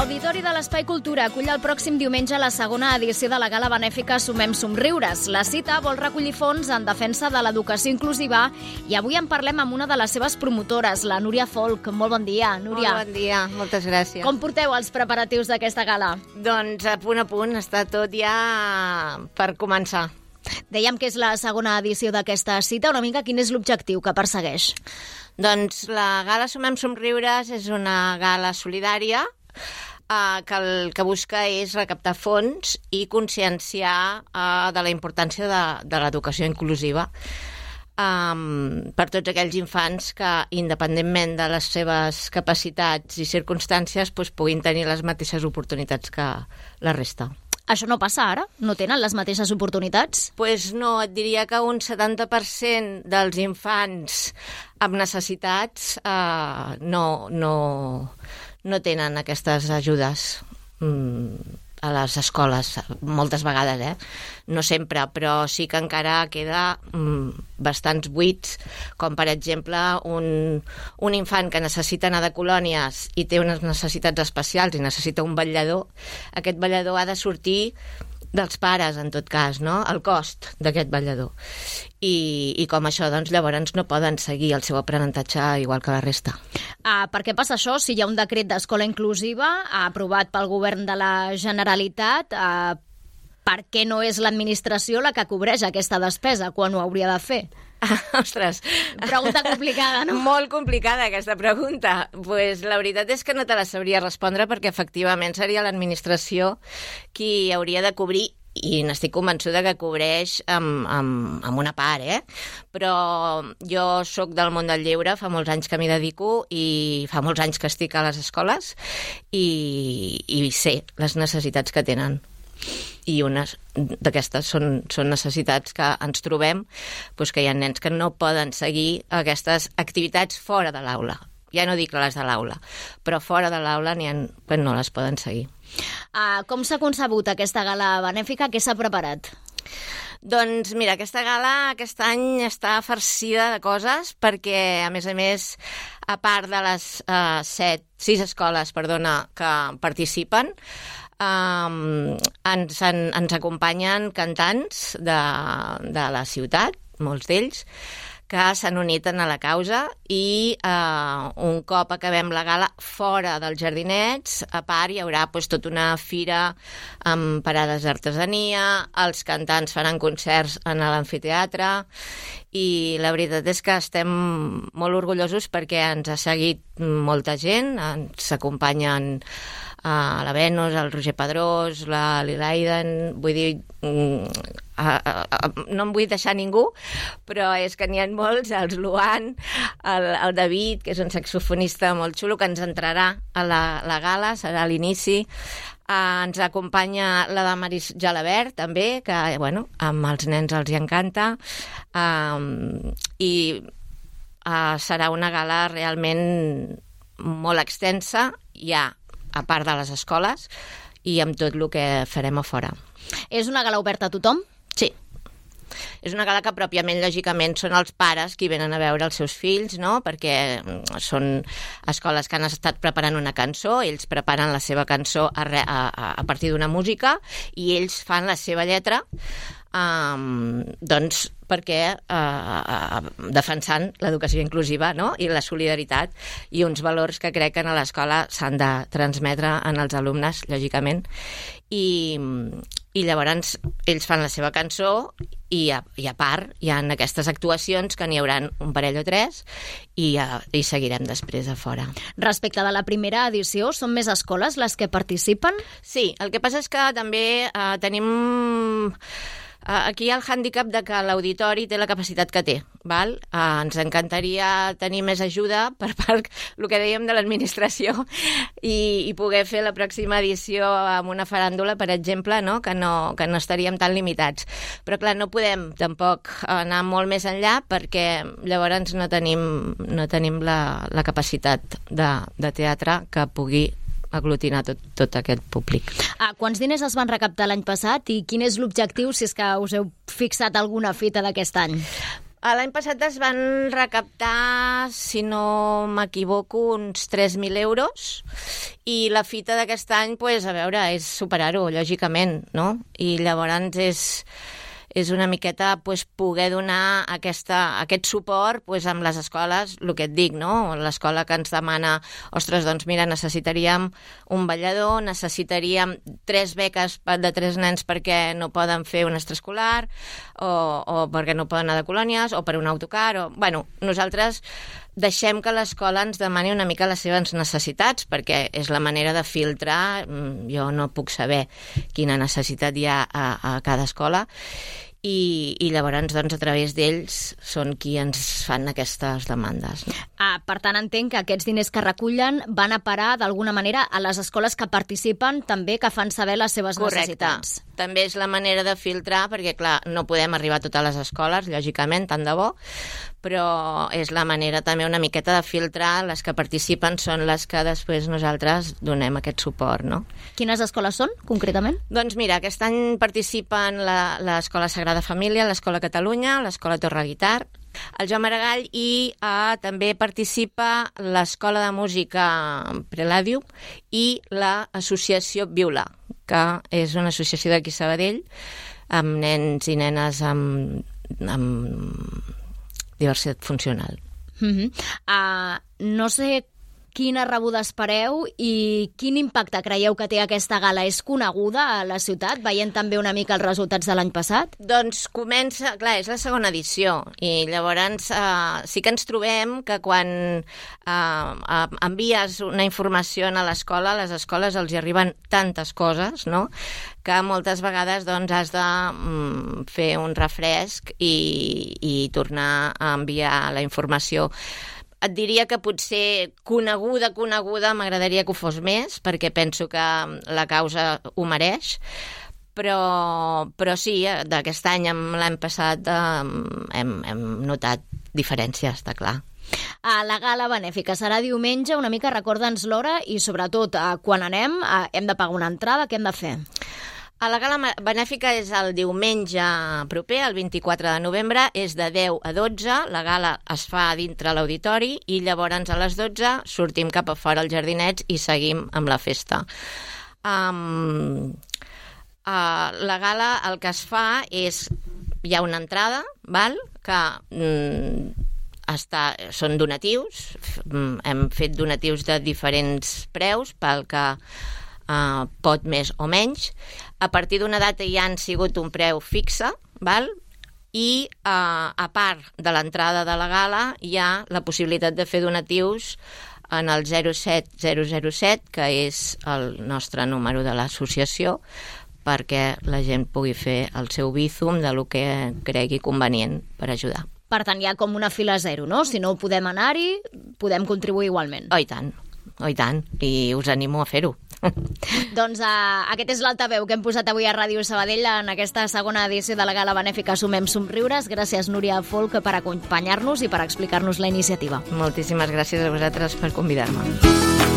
L'Auditori de l'Espai Cultura acull el pròxim diumenge la segona edició de la gala benèfica Sumem Somriures. La cita vol recollir fons en defensa de l'educació inclusiva i avui en parlem amb una de les seves promotores, la Núria Folk. Molt bon dia, Núria. Molt bon dia, moltes gràcies. Com porteu els preparatius d'aquesta gala? Doncs a punt, està tot ja per començar. Dèiem que és la segona edició d'aquesta cita. Una mica, quin és l'objectiu que persegueix? Doncs la gala Sumem Somriures és una gala solidària que el que busca és recaptar fons i conscienciar de la importància de l'educació inclusiva per tots aquells infants que, independentment de les seves capacitats i circumstàncies, puguin tenir les mateixes oportunitats que la resta. Això no passa ara? No tenen les mateixes oportunitats? Pues no, et diria que un 70% dels infants amb necessitats no tenen aquestes ajudes a les escoles, moltes vegades, no sempre, però sí que encara queda bastants buits, com per exemple un infant que necessita anar de colònies i té unes necessitats especials i necessita un vetllador. Aquest vetllador ha de sortir dels pares, en tot cas, no? El cost d'aquest vetllador. I com això, doncs, llavors no poden seguir el seu aprenentatge igual que la resta. Per què passa això? Si hi ha un decret d'escola inclusiva aprovat pel govern de la Generalitat, per què no és l'administració la que cobreix aquesta despesa quan ho hauria de fer? Ostres. Pregunta complicada, no? Molt complicada, aquesta pregunta. Pues la veritat és que no te la sabria respondre perquè efectivament seria l'administració qui hauria de cobrir, i n'estic convençuda que cobreix amb una part, Però jo sóc del món del lleure, fa molts anys que m'hi dedico i fa molts anys que estic a les escoles i sé les necessitats que tenen. I unes d'aquestes són necessitats que ens trobem, que hi ha nens que no poden seguir aquestes activitats fora de l'aula. Ja no dic les de l'aula, però fora de l'aula n'hi ha que no les poden seguir. Com s'ha concebut aquesta gala benèfica? Què s'ha preparat? Doncs mira, aquesta gala aquest any està farcida de coses perquè, a més, a part de les 6 escoles que participen, ens acompanyen cantants de la ciutat, molts d'ells, que s'han unit a la causa i un cop acabem la gala fora dels jardinets, a part hi haurà tota una fira amb parades d'artesania, els cantants faran concerts en l'amfiteatre i la veritat és que estem molt orgullosos perquè ens ha seguit molta gent, ens acompanyen la Venus, el Roger Pedrós, la Lilaiden, vull dir, no em vull deixar ningú, però és que n'hi ha molts, el Luan, el David, que és un saxofonista molt xulo, que ens entrarà a la gala, serà a l'inici. Ens acompanya la Damaris Jalabert, també, que, amb els nens els hi encanta, i serà una gala realment molt extensa, ja a part de les escoles, i amb tot el que farem a fora. És una gala oberta a tothom? Sí. És una gala que pròpiament, lògicament, són els pares qui venen a veure els seus fills, no? Perquè són escoles que han estat preparant una cançó, ells preparen la seva cançó a partir d'una música i ells fan la seva lletra, doncs perquè defensant l'educació inclusiva, no? I la solidaritat i uns valors que crec que a l'escola s'han de transmetre en els alumnes, lògicament, i llavors ells fan la seva cançó i a part hi ha aquestes actuacions que n'hi haurà un parell o 3 i seguirem després a fora. Respecte de la primera edició, són més escoles les que participen? Sí, el que passa és que també tenim aquí hi ha el hàndicap de que l'auditori té la capacitat que té, val? Ens encantaria tenir més ajuda per part, el que dèiem, de l'administració i poder fer la pròxima edició amb una faràndula, per exemple, no? Que no estaríem tan limitats. Però clar, no podem tampoc anar molt més enllà perquè llavors no tenim la capacitat de teatre que pugui aglutinar tot aquest públic. Quants diners es van recaptar l'any passat i quin és l'objectiu, si és que us heu fixat alguna fita d'aquest any? L'any passat es van recaptar, si no m'equivoco, uns 3.000 euros i la fita d'aquest any, pues, a veure, és superar-ho, lògicament, no? I llavors és una miqueta pues, poder donar aquest suport pues, amb les escoles, el que et dic, no? L'escola que ens demana, ostres, doncs mira, necessitaríem un ballador, necessitaríem 3 beques de 3 nens perquè no poden fer un extraescolar o perquè no poden anar de colònies o per un autocar. Bueno, nosaltres deixem que l'escola ens demani una mica les seves necessitats, perquè és la manera de filtrar. Jo no puc saber quina necessitat hi ha a cada escola, i llavors, doncs, a través d'ells són qui ens fan aquestes demandes. No? Per tant, entenc que aquests diners que recullen van a parar, d'alguna manera, a les escoles que participen, també que fan saber les seves necessitats. També és la manera de filtrar, perquè, clar, no podem arribar a totes les escoles, lògicament, tant de bo, però és la manera també una miqueta de filtrar. Les que participen són les que després nosaltres donem aquest suport, no? Quines escoles són, concretament? Doncs mira, aquest any participen l'Escola Sagrada Família, l'Escola Catalunya, l'Escola Torre Guitart, el Joan Maragall, i també participa l'Escola de Música Prelàdium i l'Associació Viola, que és una associació d'aquí a Sabadell, amb nens i nenes amb diversitat funcional. No sé quina rebuda espereu i quin impacte creieu que té aquesta gala. És coneguda a la ciutat, veient també una mica els resultats de l'any passat? Doncs comença, clar, és la segona edició, i llavors sí que ens trobem que quan envies una informació a l'escola, a les escoles els hi arriben tantes coses, no?, que moltes vegades doncs, has de fer un refresc i tornar a enviar la informació. Et diria que potser coneguda m'agradaria que ho fos més, perquè penso que la causa ho mereix, però sí, d'aquest any amb l'any passat hem notat diferències, està clar. La gala benèfica serà diumenge, una mica recorda'ns l'hora i sobretot quan anem hem de pagar una entrada, què hem de fer? La gala benèfica és el diumenge proper, el 24 de novembre, és de 10 a 12, la gala es fa dintre l'auditori i llavors a les 12 sortim cap a fora als jardinets i seguim amb la festa. La gala el que es fa és, hi ha una entrada, val? Que són donatius, hem fet donatius de diferents preus pel que pot més o menys. A partir d'una data ja han sigut un preu fixe, val? I a part de l'entrada de la gala hi ha la possibilitat de fer donatius en el 07007, que és el nostre número de l'associació, perquè la gent pugui fer el seu bízum de lo que cregui convenient per ajudar. Per tant, hi ha com una fila zero, no? Si no podem anar-hi, podem contribuir igualment. Oh, i tant, i us animo a fer-ho. Doncs aquest és l'altaveu que hem posat avui a Ràdio Sabadell en aquesta segona edició de la gala benèfica Sumem Somriures. Gràcies, Núria Folk, per acompanyar-nos i per explicar-nos la iniciativa. Moltíssimes gràcies a vosaltres per convidar-me.